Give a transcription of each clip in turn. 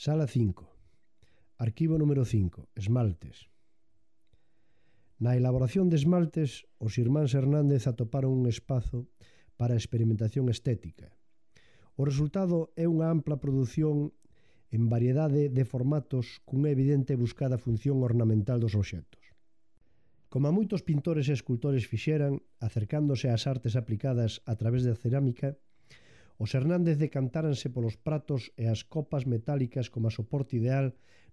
Sala 5. Arquivo número 5. Esmaltes. Na elaboración de esmaltes, os irmáns Hernández atoparon un espazo para a experimentación estética. O resultado é unha ampla produción en variedade de formatos cunha evidente buscada función ornamental dos obxectos. Como a moitos pintores e escultores fixeran, acercándose ás artes aplicadas a través da cerámica, os Hernández decantáranse polos pratos e as copas metálicas como a soporte ideal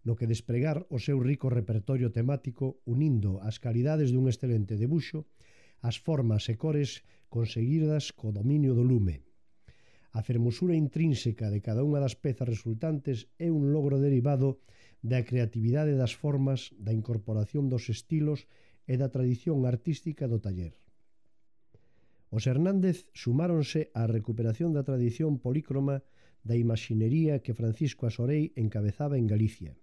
no que despregar o seu rico repertorio temático unindo as calidades dun excelente debuxo, as formas e cores conseguidas co dominio do lume. A fermosura intrínseca de cada unha das pezas resultantes é un logro derivado da creatividade das formas, da incorporación dos estilos e da tradición artística do taller. Os Hernández sumáronse á recuperación da tradición polícroma da imaxinería que Francisco Asorei encabezaba en Galicia.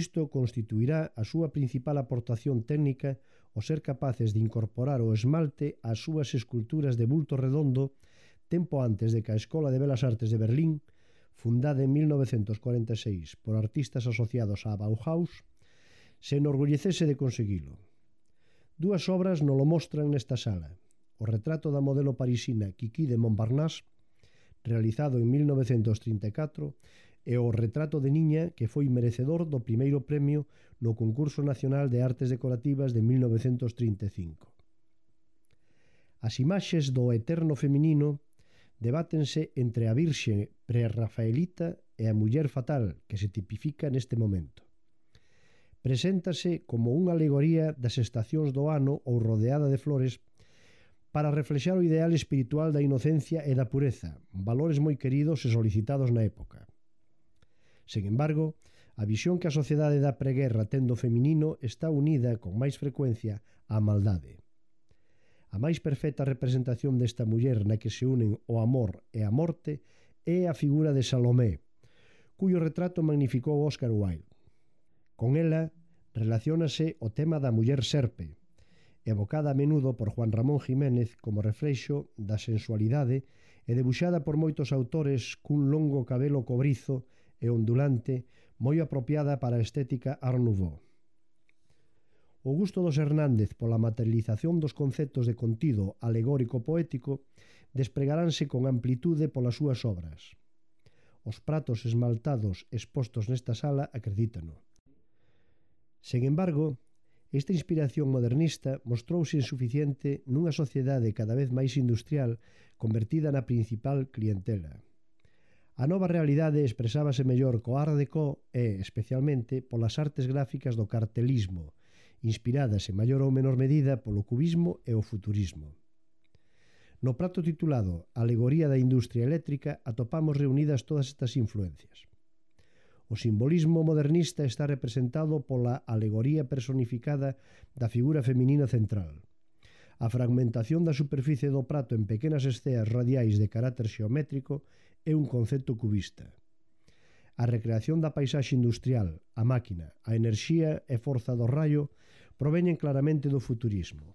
Isto constituirá a súa principal aportación técnica o ser capaces de incorporar o esmalte ás súas esculturas de bulto redondo tempo antes de que a Escola de Belas Artes de Berlín, fundada en 1946 por artistas asociados á Bauhaus, se enorgullecese de conseguilo. Dúas obras nolo mostran nesta sala. O retrato da modelo parisina Kiki de Montparnasse, realizado en 1934, e o retrato de niña que foi merecedor do primeiro premio no Concurso Nacional de Artes Decorativas de 1935. As imaxes do eterno feminino debátense entre a Virxe prerrafaelita e a muller fatal que se tipifica neste momento. Preséntase como unha alegoría das estacións do ano ou rodeada de flores para reflexar o ideal espiritual da inocencia e da pureza, valores moi queridos e solicitados na época. Sen embargo, a visión que a sociedade da preguerra ten do feminino está unida con máis frecuencia á maldade. A máis perfecta representación desta muller na que se unen o amor e a morte é a figura de Salomé, cuyo retrato magnificou Oscar Wilde. Con ela relaciónase o tema da muller serpe, evocada a menudo por Juan Ramón Jiménez como reflexo da sensualidade e debuxada por moitos autores cun longo cabelo cobrizo e ondulante moi apropiada para a estética Art Nouveau. O gusto dos Hernández pola materialización dos conceptos de contido alegórico poético despregaránse con amplitude polas súas obras. Os pratos esmaltados expostos nesta sala acredítano. Sen embargo, esta inspiración modernista mostrouse insuficiente nunha sociedade cada vez máis industrial convertida na principal clientela. A nova realidade expresábase mellor co Art Deco e, especialmente, polas artes gráficas do cartelismo, inspiradas en maior ou menor medida polo cubismo e o futurismo. No prato titulado Alegoría da Industria Eléctrica atopamos reunidas todas estas influencias. O simbolismo modernista está representado pola alegoría personificada da figura feminina central. A fragmentación da superficie do prato en pequenas esceas radiais de carácter xeométrico é un concepto cubista. A recreación da paisaxe industrial, a máquina, a enerxía e forza do raio proveñen claramente do futurismo.